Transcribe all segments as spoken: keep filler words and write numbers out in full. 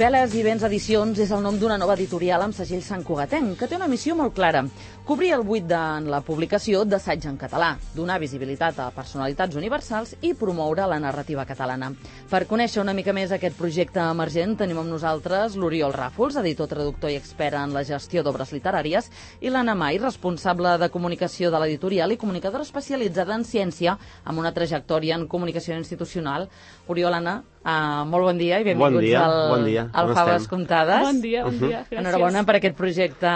Veles i Vents Edicions és el nom d'una nova editorial amb segell santcugatenc, que té una missió molt clara: cobrir el buit en la publicació d'assaig en català, donar visibilitat a personalitats universals i promoure la narrativa catalana. Per conèixer una mica més aquest projecte emergent tenim amb nosaltres l'Oriol Ràfols, editor, traductor i expert en la gestió d'obres literàries, i l'Anna Mai, responsable de comunicació de l'editorial i comunicadora especialitzada en ciència amb una trajectòria en comunicació institucional. Oriol, Anna, Uh, molt bon dia i benvinguts bon dia, al, bon dia. al Faves Comptades. Bon dia, bon dia, gràcies. Enhorabona per aquest projecte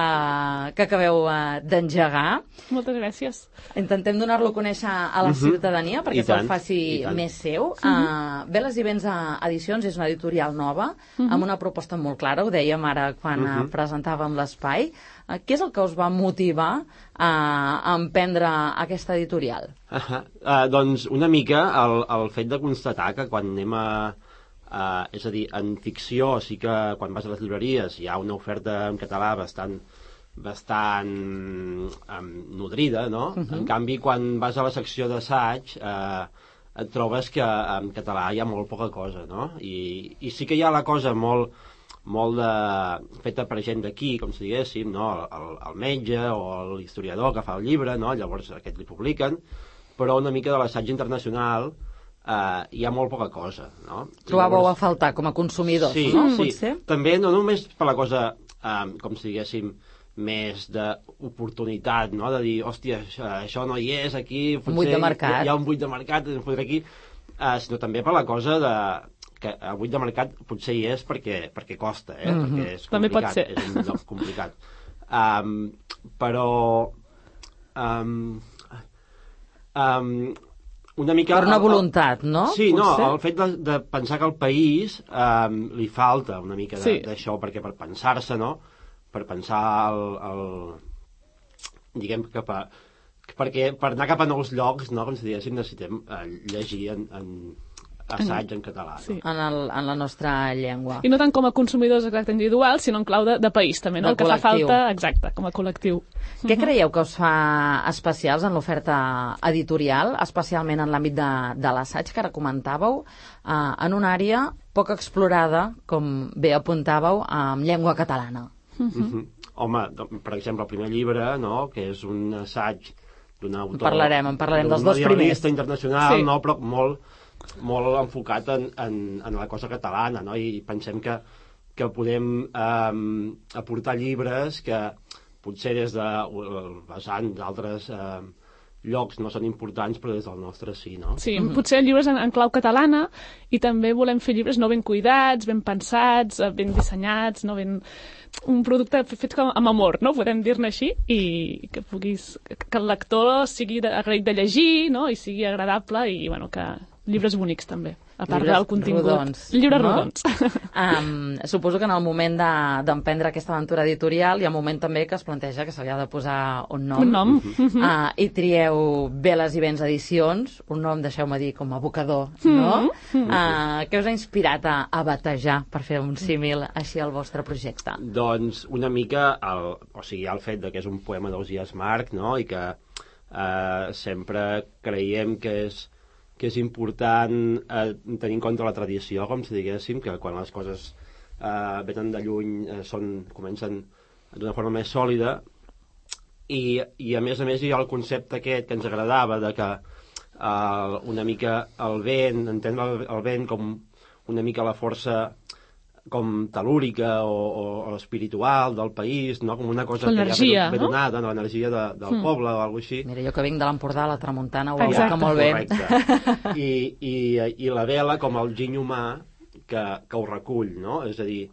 que acabeu uh, d'engegar. Moltes gràcies. Intentem donar-lo a conèixer a la uh -huh. ciutadania perquè se'l faci més seu. Uh -huh. uh, Veles i Vents Edicions és una editorial nova, uh -huh. amb una proposta molt clara, ho dèiem ara quan uh -huh. presentàvem l'espai. Uh, què és el que us va motivar uh, a emprendre aquesta editorial? Uh -huh. uh, doncs una mica el, el fet de constatar que quan anem a Uh, és a dir, en ficció sí que quan vas a les llibreries hi ha una oferta en català bastant bastant um, nodrida, no? Uh -huh. En canvi, quan vas a la secció d'assaig uh, et trobes que en català hi ha molt poca cosa, no? I, i sí que hi ha la cosa molt, molt de, feta per gent d'aquí, com si diguéssim, no? El, el metge o l'historiador que fa el llibre, no? Llavors aquest li publiquen, però una mica de l'assaig internacional Uh, hi ha molt poca cosa, no? Trobàveu Llavors... a faltar com a consumidors, sí, no? Sí, Potser? També no només per la cosa, um, com si diguéssim, més d'oportunitat, no? De dir, hòstia, això, això no hi és aquí, potser un buit de mercat. Hi, hi ha un buit de mercat, ens fotré aquí, uh, sinó també per la cosa de que el buit de mercat potser hi és perquè, perquè costa, eh? Mm-hmm. Perquè és també pot ser. És un lloc complicat. Um, però... Um, um, una mica... Per una voluntat, no? Sí, Potser? no, el fet de, de pensar que al país um, li falta una mica d'això, sí. Perquè per pensar-se, no? Per pensar el... el diguem que per, perquè per anar cap a nous llocs, no? Com si diguéssim, necessitem uh, llegir en, en assaig en català. Sí. No? En, el, en la nostra llengua. I no tant com a consumidors exacte individuals, sinó en clau de, de país, també, no? El que fa falta, exacte, com a col·lectiu. Què uh-huh. creieu que us fa especials en l'oferta editorial, especialment en l'àmbit de, de l'assaig, que ara comentàveu, uh, en una àrea poc explorada, com bé apuntàveu, amb llengua catalana? Uh-huh. Uh-huh. Home, per exemple, el primer llibre, no?, que és un assaig d'un autor... En parlarem, en parlarem dels dos primers. internacional, sí. no?, però molt... molt enfocat en, en, en la cosa catalana, no? I pensem que, que podem eh, aportar llibres que potser des de vessant d'altres eh, llocs no són importants, però des del nostre sí, no? Sí, mm-hmm. potser llibres en, en clau catalana, i també volem fer llibres no ben cuidats, ben pensats, ben dissenyats, no ben... un producte fet com amb amor, no? Podem dir-ne així, i que puguis... que el lector sigui agraït de llegir, no? I sigui agradable, i bueno, que... llibres bonics, també, a part llibres del contingut. Rodons, llibres no? rodons. Um, suposo que en el moment d'emprendre de, aquesta aventura editorial hi ha un moment també que es planteja que se li ha de posar un nom. Un nom. Uh, uh, I trieu Veles i Vents Edicions, un nom, deixeu-me dir, com a abocador, no? Mm-hmm. Uh, què us ha inspirat a, a batejar, per fer un símil així al vostre projecte? Doncs una mica, el, o sigui, el fet de que és un poema d'Ausiàs Marc, no?, i que uh, sempre creiem que és que és important eh, tenir en compte la tradició, com si diguéssim, que quan les coses eh, venen de lluny eh, són, comencen d'una forma més sòlida, i, i a més a més hi ha el concepte aquest que ens agradava, de que eh, una mica el vent, entendre el, el vent com una mica la força com telúrica o, o espiritual del país, no? Com una cosa que ja ve donada, no? L'energia de, del mm. poble o alguna cosa així. Mira, jo que vinc de l'Empordà, la tramuntana ho evoca molt bé. Correcte. I, i, I la vela com el giny humà que, que ho recull, no? És a dir,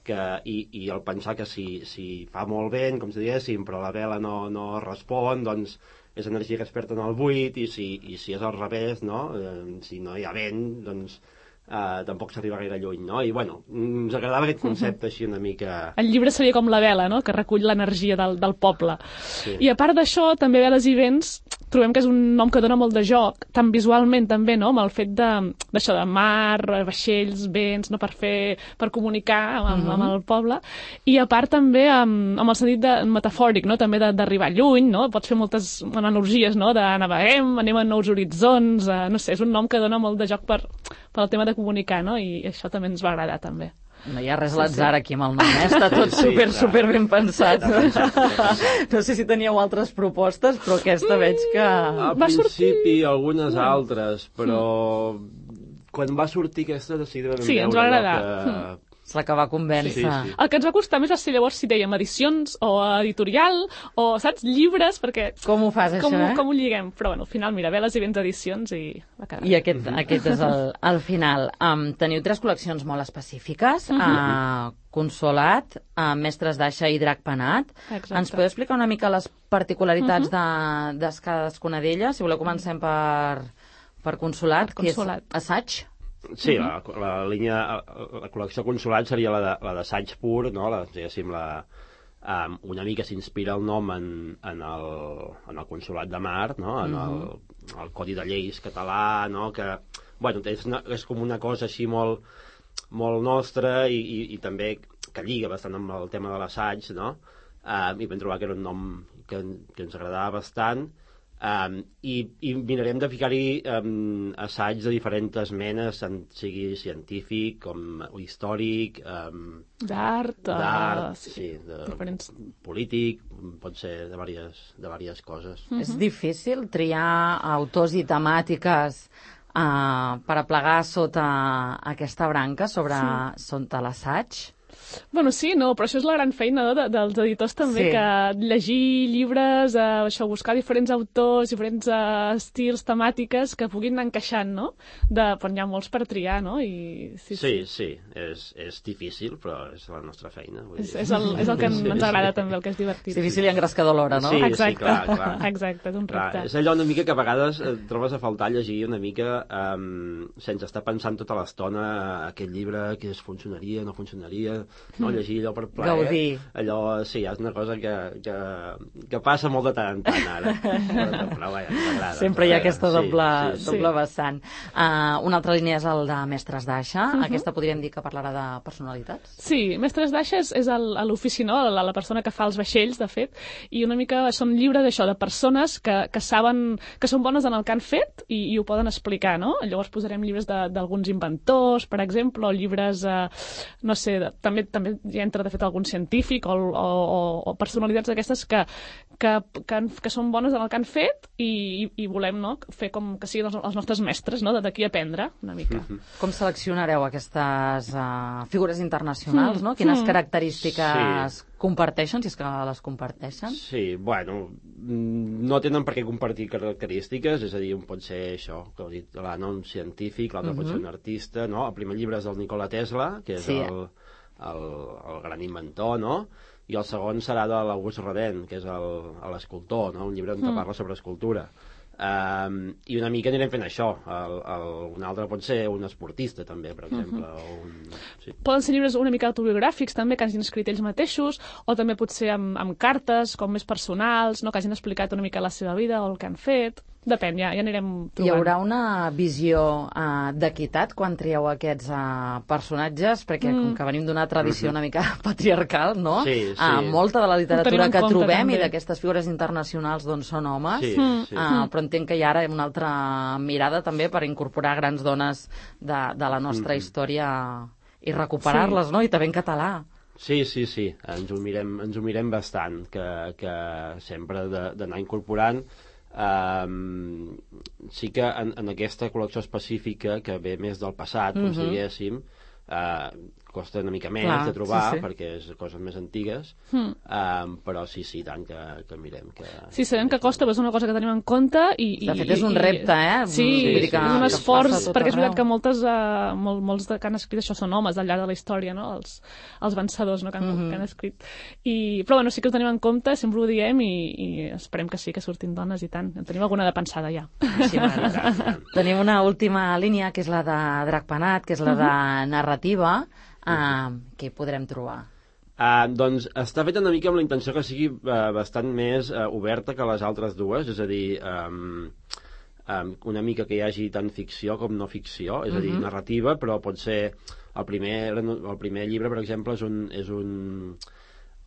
que, i, i el pensar que si, si fa molt vent, com si diguéssim, però la vela no, no respon, doncs és energia que es perd en el buit, i si, i si és al revés, no? Eh, si no hi ha vent, doncs Uh, tampoc s'arriba gaire lluny, no? I, bueno, ens agradava aquest concepte així una mica... El llibre seria com la vela, no?, que recull l'energia del, del poble. Sí. I a part d'això, també Veles i Vents, trobem que és un nom que dona molt de joc, tant visualment també, no?, amb el fet d'això de, de mar, vaixells, vents, no?, per fer, per comunicar amb, mm-hmm. amb el poble. I a part també amb, amb el sentit de, metafòric, no?, també d'arribar lluny, no?, pots fer moltes analogies, no?, de naveguem, anem a nous horitzons, uh, no sé, és un nom que dona molt de joc per, per al tema de comunicar, no?, i això també ens va agradar, també. No hi ha res a l'atzar aquí amb el nom, eh? Està tot sí, super, sí, super ben pensat. No sé si teníeu altres propostes, però aquesta veig que... Al principi algunes altres, però quan va sortir aquesta decidida sí, ens va agradar. És la que va convèncer. Sí, sí. El que ens va costar més va ser llavors si dèiem edicions o editorial o, saps, llibres, perquè... Com ho fas, com, això, eh? Com ho lliguem? Però, bueno, al final, mira, Veles i Vents edicions i va quedar. I aquest, aquest és el, el final. Um, teniu tres col·leccions molt específiques. Uh -huh. uh, Consolat, uh, Mestres d'Aixa i Drac Penat. Exacte. Ens podeu explicar una mica les particularitats uh -huh. de, de cadascuna d'elles? Si voleu, comencem per, per Consolat, per Consolat, que és assaig. Sí, la, la línia, la col·lecció Consolat seria la d'assaig pur, no? La, diguéssim, la, um, una mica s'inspira el nom en, en, el, en el Consolat de Mar, no? En el, el Codi de Lleis català, no? Que, bueno, és, una, és com una cosa així molt, molt nostra i, i, i també que lliga bastant amb el tema de l'assaig, no? Um, I vam trobar que era un nom que, que ens agradava bastant. Um, i, i mirarem de ficar-hi um, assaigs de diferents menes, sigui científic com històric, um, d'art, d'art, uh, sí, sí, de diferents... polític, pot ser de diverses, de diverses coses. Uh-huh. És difícil triar autors i temàtiques uh, per aplegar sota aquesta branca sobre sí. sota l'assaig? Bueno, sí, no, però això és la gran feina no, de, dels editors també, sí. que llegir llibres, eh, això, buscar diferents autors, diferents eh, estils, temàtiques que puguin anar encaixant, no? De, però hi ha molts per triar, no? I, sí, sí, sí, sí. És, és difícil, però és la nostra feina. Vull és, dir. És, el, és el que sí, ens agrada sí. també, el que és divertit. És difícil i engrescador alhora, no? Sí, exacte. sí, clar, clar. Exacte, és un repte. Clar, és allò una mica que a vegades et trobes a faltar llegir una mica um, sense estar pensant tota l'estona aquest llibre, que es funcionaria, no funcionaria, no? Llegir allò per plaer. Gaudir. Allò, sí, és una cosa que, que, que passa molt de tant en tant ara. Però, però vaja, ens agrada. Sempre hi ha aquesta doble, sí, sí, doble sí. vessant. Uh, una altra línia és el de Mestres d'Aixa. Uh -huh. Aquesta podríem dir que parlarà de personalitats? Sí, Mestres d'Aixa és, és l'ofici, no? La, la persona que fa els vaixells, de fet, i una mica són llibres d'això, de persones que, que saben, que són bones en el que han fet i, i ho poden explicar, no? Llavors posarem llibres d'alguns inventors, per exemple, o llibres, eh, no sé, de, també, també hi entra, de fet, algun científic o, o, o personalitats d'aquestes que, que, que, que són bones en el que han fet i, i volem, no?, fer com que siguin els, els nostres mestres, no?, d'aquí aprendre una mica. Mm-hmm. Com seleccionareu aquestes uh, figures internacionals, mm. no? Quines mm. característiques sí. comparteixen, si és que les comparteixen? Sí, bueno, no tenen per què compartir característiques, és a dir, un pot ser això, que heu dit, l'Anna, un científic, l'altre mm-hmm. pot ser un artista, no? El primer llibre és del Nikola Tesla, que és sí. el... El, el gran inventor, no? I el segon serà de l'August Rodin, que és l'escultor, no? Un llibre on mm. parla sobre escultura. Um, I una mica anirem fent això. El, el, un altre pot ser un esportista, també, per exemple. Mm-hmm. o un, sí. Poden ser llibres una mica autobiogràfics, també, que hagin escrit ells mateixos, o també pot ser amb, amb cartes, com més personals, no? Que hagin explicat una mica la seva vida o el que han fet. Depèn, ja, ja anirem trobant. Hi haurà una visió uh, d'equitat quan trieu aquests uh, personatges? Perquè mm. com que venim d'una tradició una mica patriarcal, no? Sí, sí. Uh, molta de la literatura que trobem també. I d'aquestes figures internacionals doncs, són homes. Sí, mm. sí. Uh, però entenc que hi ha ara una altra mirada també per incorporar grans dones de, de la nostra mm. història i recuperar-les, sí. no? I també en català. Sí, sí, sí. Ens ho mirem, ens ho mirem bastant, que, que sempre d'anar incorporant. Um, sí que en, en aquesta col·lecció específica que ve més del passat, com mm-hmm. si diguéssim, uh, costa una mica més Clar, de trobar sí, sí. perquè és coses més antigues mm. um, però sí, sí, tant que, que mirem que... Sí, sabem que costa, però és una cosa que tenim en compte i... i de fet és un repte, eh? Sí, sí, sí, sí. és un esforç, perquè és veritat que moltes, uh, mol, molts de, que han escrit això són homes al llarg de la història, no? Els, els vencedors, no? que, han, mm-hmm. que han escrit I, però bueno, sí que ho tenim en compte, sempre ho diem i, i esperem que sí, que surtin dones i tant, en tenim alguna de pensada ja. Sí, tenim una última línia que és la de Drac Penat, que és la de narrativa. Uh, què podrem trobar? Uh, doncs està feta una mica amb la intenció que sigui uh, bastant més uh, oberta que les altres dues, és a dir, um, um, una mica que hi hagi tant ficció com no ficció, és a dir, uh-huh. narrativa, però pot ser el primer, el primer llibre, per exemple, és un, és un,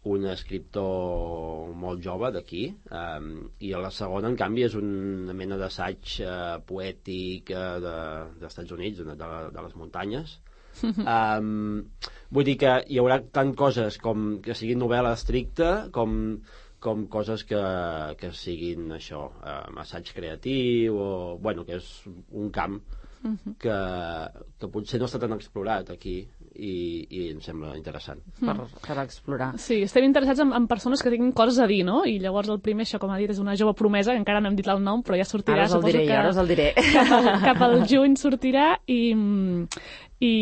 un escriptor molt jove d'aquí, um, i la segona, en canvi, és una mena d'assaig uh, poètic uh, de, dels Estats Units, de, de, de les muntanyes. Um, vull dir que hi haurà tant coses com que siguin novel·la estricta com, com coses que, que siguin això, um, assaig creatiu o, bueno, que és un camp uh-huh. que, que potser no està tan explorat aquí i, i em sembla interessant per, per explorar. Sí, estem interessats en, en persones que tinguin coses a dir, no? I llavors el primer, això com ha dit, és una jove promesa, que encara no hem dit el nom, però ja sortirà. Ara us el diré, que ara us el diré. Cap al, cap al juny sortirà i, i,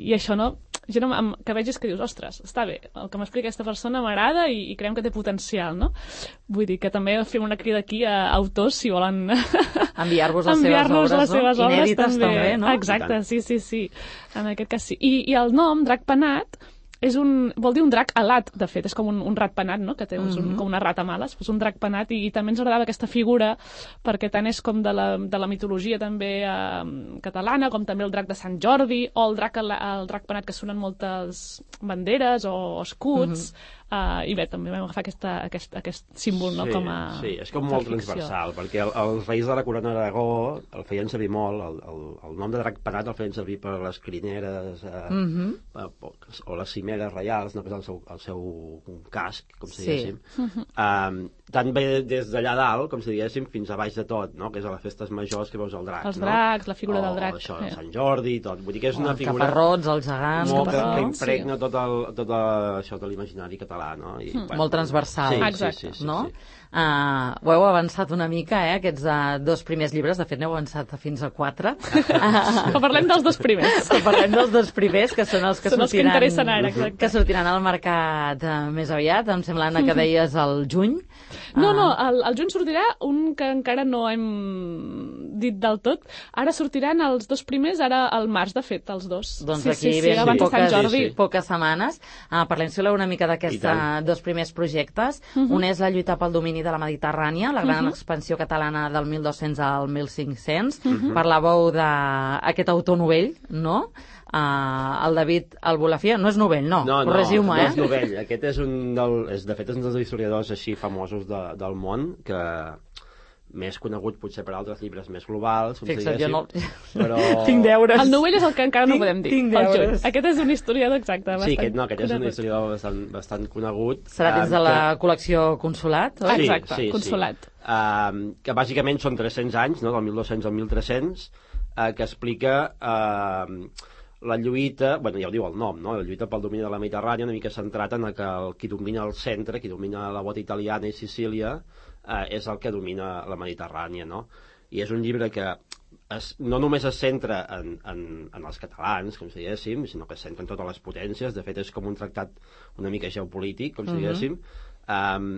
i això, no? Jo no, amb, que vegis que dius, ostres, està bé, el que m'explica aquesta persona m'agrada i, i creiem que té potencial, no? Vull dir que també fem una crida aquí a autors, si volen enviar-vos les enviar seves obres, les seves no? Obres, Inèdites també, també, no? Exacte, sí, sí, sí, en aquest cas sí. I, i el nom, Drac Penat, és un, vol dir un drac alat, de fet, és com un, un rat penat, no? Que té un, mm-hmm. com una rata mala, és un drac penat, i, i també ens agradava aquesta figura, perquè tant és com de la, de la mitologia també eh, catalana, com també el drac de Sant Jordi, o el drac, el, el drac penat que sonen moltes banderes o escuts, mm-hmm. Uh, i bé, també vam agafar aquesta, aquest, aquest símbol, sí, no, com a... Sí, és com molt transversal, perquè el, els reis de la corona d'Aragó el feien servir molt, el, el, el nom de drac penat el feien servir per les crineres uh, mm-hmm. uh, o les cimeres reials, no, que és el seu, el seu casc, com si sí. diguéssim. Mm-hmm. Um, tant bé des d'allà dalt, com si diguéssim, fins a baix de tot, no? Que és a les festes majors que veus el drac. Els dracs, no? La figura o, del drac. O això, el Sant Jordi i tot. Vull dir que és una els figura... caparrots, els gegants... Molt que, que impregna sí. tot, el, tot el, això de l'imaginari català, no? I, mm. bueno, molt transversal. Sí, exacte. Sí, sí, sí, no? sí. Uh, ho heu avançat una mica, eh, aquests uh, dos primers llibres, de fet n'heu avançat fins a quatre. Que parlem dels dos primers. Que parlem dels dos primers, que són els que són sortiran, els que interessen ara, exacte. Que sortiran al mercat uh, més aviat, em sembla, Anna, que deies el juny. No, no, el, el juny sortirà un que encara no hem dit del tot. Ara sortiran els dos primers, ara al març, de fet, els dos. Doncs sí, aquí sí, sí, sí, abans de Sant Jordi. Sí, sí. Poques setmanes. Uh, parlem, si voleu, una mica d'aquests dos primers projectes. Uh-huh. Un és la lluita pel domini de la Mediterrània, la gran uh-huh. expansió catalana del mil dos-cents al mil cinc-cents, uh-huh. per la veu d'aquest autor novell, no? Uh, el David Albolafia, no és novell, no, no, no corregiu-me, no eh? és novell, aquest és un del, és, de fet és un dels historiadors així famosos de, del món, que més conegut potser per altres llibres més globals, com Fixa't, si jo no... però... Tinc deures. El novell és el que encara no podem dir. Tinc deures. Aquest és un historiador exacte. Sí, aquest, no, aquest és un historiador bastant, bastant conegut. Serà dins de la que... col·lecció Consolat, oi? Sí, exacte, sí, Consolat. Sí. Uh, que bàsicament són tres-cents anys, no? Del mil dos-cents al mil tres-cents, uh, que explica... Uh, la lluita, bueno, ja ho diu el nom, no? La lluita pel domini de la Mediterrània, una mica centrat en que el, qui domina el centre, qui domina la bota italiana i Sicília, eh, és el que domina la Mediterrània, no? I és un llibre que es, no només es centra en, en, en els catalans, com si diguéssim, sinó que es centra en totes les potències. De fet, és com un tractat una mica geopolític, com si diguéssim. Um,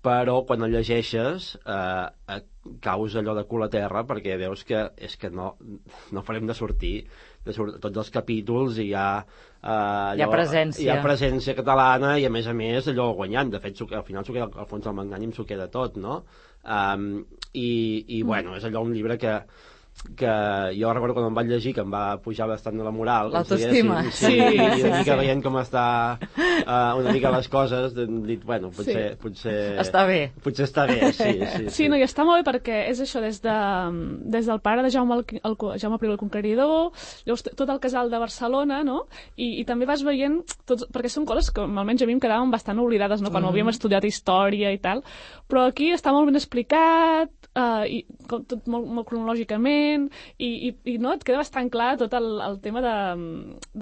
però quan el llegeixes eh, caus allò de cul a terra, perquè veus que és que no, no farem de sortir de sur tots els capítols i hi ha eh, allò, hi ha presència hi ha presència catalana i a més a més allò guanyant. De fet, al final s'ho queda, al fons del magnànim s'ho queda tot, no? Um, i, i bueno, és allò un llibre que que jo recordo quan em vaig llegir que em va pujar bastant de la moral, l'autoestima, sí, sí, sí, i una mica veient com està uh, una mica les coses, hem dit, bueno, potser, sí. potser està bé, potser està bé, sí, sí, sí. Sí, no, i està molt bé perquè és això, des, de, des del pare de Jaume, el, el, Jaume I el Conqueridor, llavors tot el casal de Barcelona, no? I, i també vas veient, tots, perquè són coses que almenys a mi em quedaven bastant oblidades, no? Quan mm. havíem estudiat història i tal, però aquí està molt ben explicat, uh, i tot molt, molt cronològicament, i, i, i no, et queda bastant clar tot el, el tema de,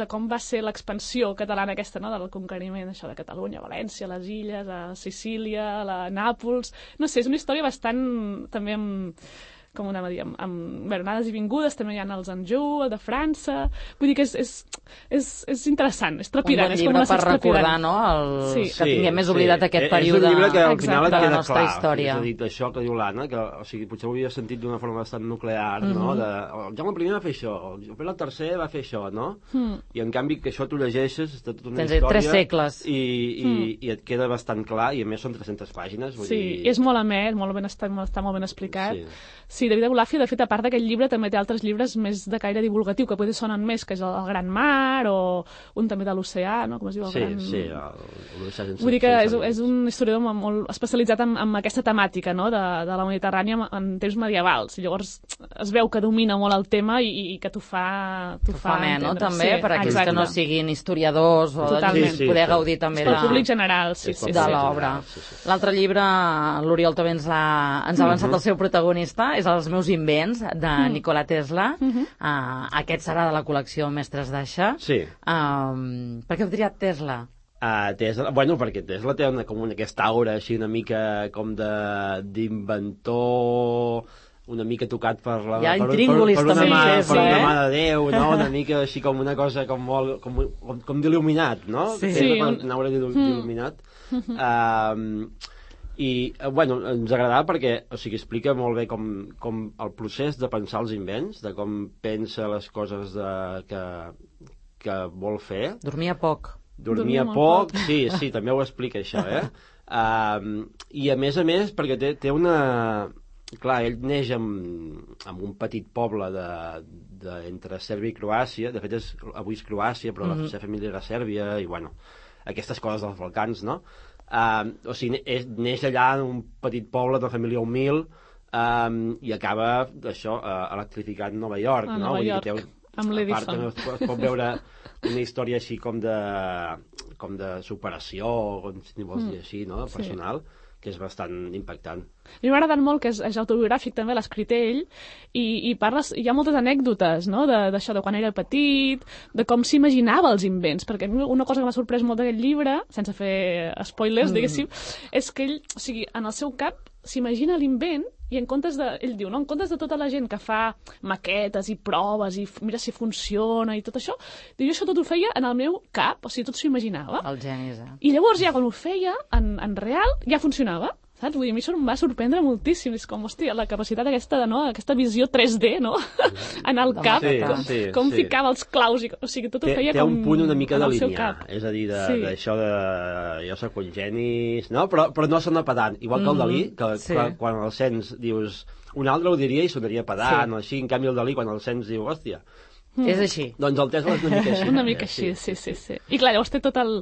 de com va ser l'expansió catalana aquesta, no? Del conqueriment, això de Catalunya, València, les Illes, a Sicília, a la Nàpols... No sé, és una història bastant també amb... com anava a dir, amb, amb bueno, anades i vingudes, també hi ha els Anjou, el de França... Vull dir que és, és, és, és interessant, és trepidant. Un bon llibre per recordar, no? El... Sí. Que tinguem més oblidat sí. aquest període és un llibre que al final et de la queda nostra clar. història. És a dir, això que diu l'Anna, que o sigui, potser ho havia sentit d'una forma bastant nuclear, mm -hmm. no? De, el Jaume I va fer això, el Pere el tercer va fer això, no? Mm. I en canvi que això tu llegeixes, està tota una Tens història... tres segles. I, i, mm. i et queda bastant clar, i a més són tres-centes pàgines. Vull sí, dir... i és molt amè, molt ben, està, està molt ben explicat. Sí. Sí, David Abulafia, de fet, a part d'aquest llibre, també té altres llibres més de caire divulgatiu, que potser sonen més, que és el, el Gran Mar, o un també de l'oceà, no? Com es diu? El sí, gran... sí, l'oceà sense... Vull dir que és, és un historiador molt especialitzat en, en aquesta temàtica, no?, de, de la Mediterrània en, en temps medievals. I llavors es veu que domina molt el tema i, i que t'ho fa, t'ho fa, fa entendre. no? També, sí, per aquells exacte. que no siguin historiadors o Totalment. sí, sí, poder sí, gaudir també de... de... públic general, sí, sí, de sí. l'obra. Sí, sí. L'altre llibre, l'Oriol també ens ha, ens ha avançat uh -huh. el seu protagonista, és Els meus invents, de uh -huh. Nikola Tesla. Uh -huh. uh, aquest serà de la col·lecció Mestres d'Aixa. Sí. Um, per què heu triat Tesla? Uh, Tesla, bueno, perquè Tesla té una, com una, aquesta aura així una mica com de d'inventor, una mica tocat per la... Hi ha per, intríngulis per, per, també, una mà, sí, per una eh? mà de Déu, no? Una mica així com una cosa com molt... com, com, com d'il·luminat, no? Sí. Tesla, Sí, un... una aura d'il·luminat. Uh, I, bueno, ens agradava perquè, o sigui, explica molt bé com, com el procés de pensar els invents, de com pensa les coses de, que, que vol fer. Dormia poc. Dormia, Dormia poc, poc, sí, sí, també ho explica això, eh? Uh, I a més a més, perquè té, té una... Clar, ell neix en, en un petit poble de, de, entre Sèrbia i Croàcia, de fet és, avui és Croàcia, però mm -hmm. la seva família era Sèrbia, i bueno, aquestes coses dels Balcans, no? Uh, o sigui, és, neix allà en un petit poble de família humil um, i acaba, això, uh, electrificant Nova York, a no? Nova Vull York, dir que té, amb l'Edison. Es, es pot veure una història així com de, com de superació, com si vols dir així, no? Personal, sí. Que és bastant impactant. A mi m'ha agradat molt, que és, és autobiogràfic també, l'ha escrit ell, i, i parles, hi ha moltes anècdotes, no?, d'això, de, de quan era petit, de com s'imaginava els invents, perquè una cosa que m'ha sorprès molt d'aquest llibre, sense fer spoilers, mm. diguéssim, és que ell, o sigui, en el seu cap s'imagina l'invent i en comptes de, ell diu, no, en comptes de tota la gent que fa maquetes i proves i mira si funciona i tot això, diu, jo això tot ho feia en el meu cap, o sigui, tot s'ho imaginava. El genis, eh? I llavors ja quan ho feia en, en real ja funcionava. Saps? Vull dir, a mi això em va sorprendre moltíssim. És com, hòstia, la capacitat aquesta, de, no? aquesta visió tres D, no? En el cap, sí, com, sí, com sí. ficava els claus, i, o sigui, tot ho té, feia té com un punt una mica en de el seu linear, cap. és a dir, Sí. d'això de, de... Jo soc un genis... No? Però, però no sona pedant. Igual que el Dalí, que sí. quan, quan el sents dius... Un altre ho diria i sonaria pedant, Sí. o així. En canvi, el Dalí, quan el sents, diu, hòstia... Mm. És així. Doncs el Tesla és una mica així. Una mica així, sí, sí, sí. I clar, llavors té tota el,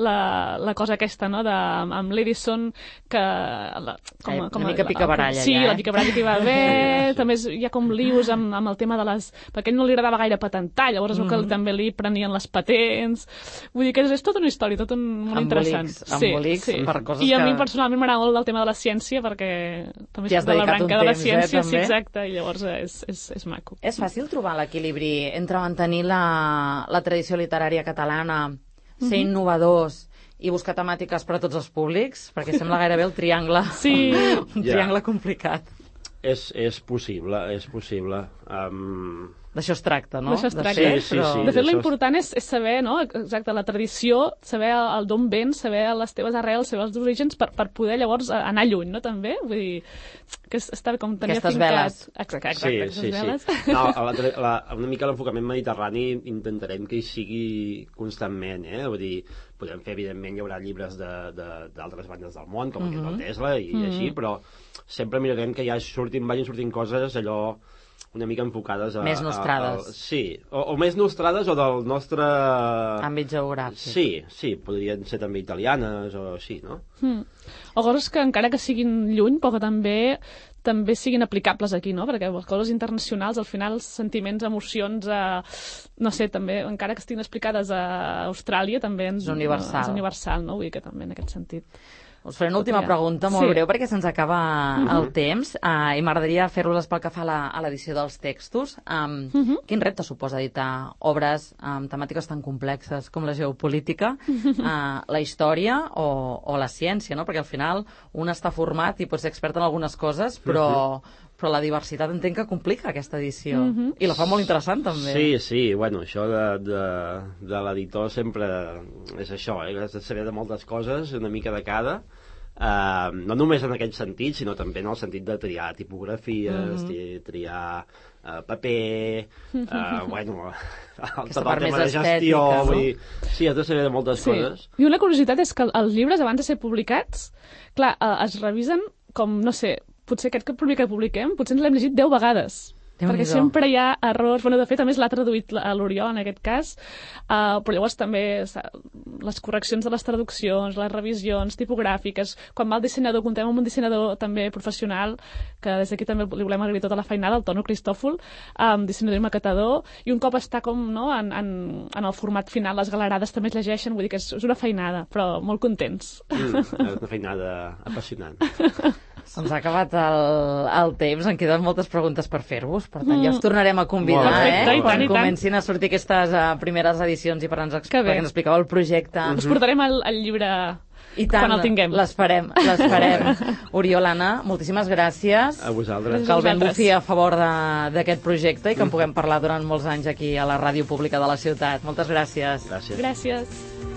la, la cosa aquesta, no?, de, amb l'Edison, que... La, com, Ai, com una mica picabaralla, sí, ja, eh? la picabaralla que hi va haver, Sí, sí. també és, hi ha com lius amb, amb el tema de les... Perquè a ell no li agradava gaire patentar, llavors es veu que Mhm. també li prenien les patents. Vull dir que és, és tota una història, tot un, molt interessant. Embolics, embolics per coses I a que- mi personalment m'agrada molt el tema de la ciència, perquè també T'hi has soc de la dedicat un branca de la temps, eh, ciència, sí, també? exacte, i llavors és, és, és maco. És fàcil trobar l'equilibri entre mantenir la, la tradició literària catalana, ser innovadors i buscar temàtiques per a tots els públics? Perquè sembla gairebé el triangle, Sí. un Ja. triangle complicat. És, és possible, és possible. Um... D'això es tracta, no? D'això es De tracta. ser, Sí, sí, però- sí. De fet, d'això- l'important és, és saber, no?, exacte, la tradició, saber el, el d'on vens, saber les teves arrels, saber els orígens, per, per poder llavors anar lluny, no?, també? Vull dir, que és, està com tenir Aquestes afincat... veles. Exacte, exacte, Sí, aquestes sí, veles. sí. No, a la, la, una mica l'enfocament mediterrani intentarem que hi sigui constantment, eh? Vull dir, podem fer, evidentment, hi haurà llibres de- de- d'altres bandes del món, com aquest del Tesla i Mhm. així, però sempre mirarem que ja surtin, vagin sortint coses allò una mica enfocades a... Més nostrades. A, a, sí, o, o més nostrades o del nostre... Àmbit geogràfic. Sí, sí, podrien ser també italianes o així, no? Mm. O coses que encara que siguin lluny, però que també també siguin aplicables aquí, no? Perquè les coses internacionals, al final, sentiments, emocions, eh, no sé, també, encara que estiguin explicades a Austràlia, també ens, És universal. és universal, no? Vull dir que també en aquest sentit. Us faré una última Ja. pregunta molt Sí. breu perquè se'ns acaba Mhm. el temps uh, i m'agradaria fer-los pel que fa a la- a l'edició dels textos. Um, Mhm. Quin repte suposa editar obres amb temàtiques tan complexes com la geopolítica, uh, la història o, o la ciència, no? Perquè al final un està format i pot ser expert en algunes coses, però, però la diversitat entenc que complica aquesta edició. Mhm. I la fa molt interessant, també. Sí, sí, bueno, això de, de, de l'editor sempre és això, eh? Has de saber de moltes coses, una mica de cada, uh, no només en aquest sentit, sinó també en el sentit de triar tipografies, Mhm. tri, triar uh, paper, uh, bueno, el, Aquesta tot el part tema més de gestió, estètica, no? vull dir, sí, has de saber de moltes Sí. coses. I una curiositat és que els llibres, abans de ser publicats, clar, eh, es revisen com, no sé, potser aquest primer que publiquem, potser ens l'hem llegit deu vegades. Perquè Déu-n'hi-do. sempre hi ha errors. Bueno, de fet, a més, l'ha traduït a l'Oriol, en aquest cas, uh, però llavors també les correccions de les traduccions, les revisions tipogràfiques, quan va el dissenyador, comptem amb un dissenyador també professional, que des d'aquí també li volem agrair tota la feinada, el Tono Cristòfol, um, dissenyador i maquetador, i un cop està com, no, en, en, en el format final, les galerades també es llegeixen, vull dir que és, és una feinada, però molt contents. Mm, és una feinada apassionant. Se'ns ha acabat el, el temps, en queden moltes preguntes per fer-vos, per tant ja us tornarem a convidar, Molt bé, eh? molt bé. Quan I tant. comencin a sortir aquestes uh, primeres edicions i per ens, Que bé. perquè ens expliqueu el projecte. Us portarem el, el llibre I tant, quan el tinguem. l'esperem, l'esperem. Oriol, Anna, moltíssimes gràcies. A vosaltres. Que el vent vosaltres. bufi a favor de- d'aquest projecte i que en puguem parlar durant molts anys aquí a la ràdio pública de la ciutat. Moltes gràcies. Gràcies. Gràcies.